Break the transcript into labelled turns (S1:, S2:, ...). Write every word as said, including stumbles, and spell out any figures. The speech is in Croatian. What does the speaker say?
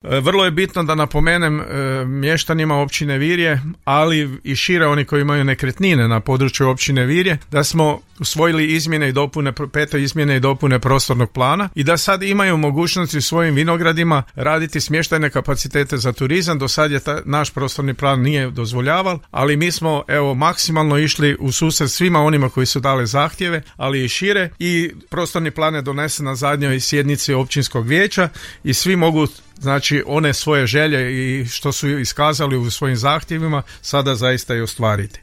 S1: Vrlo je bitno da napomenem mještanima općine Virje, ali i šire oni koji imaju nekretnine na području općine Virje, da smo usvojili izmjene i dopune, pete izmjene i dopune prostornog plana i da sad imaju mogućnosti u svojim vinogradima raditi smještajne kapacitete za turizam. Do sad je ta, naš prostorni plan nije dozvoljaval, ali mi smo evo maksimalno išli u susret svima onima koji su dali zahtjeve, ali i šire, i prostorni plan je donesen na zadnjoj sjednici općinskog vijeća i svi mogu, znači, one svoje želje i što su iskazali u svojim zahtjevima sada zaista i ostvariti.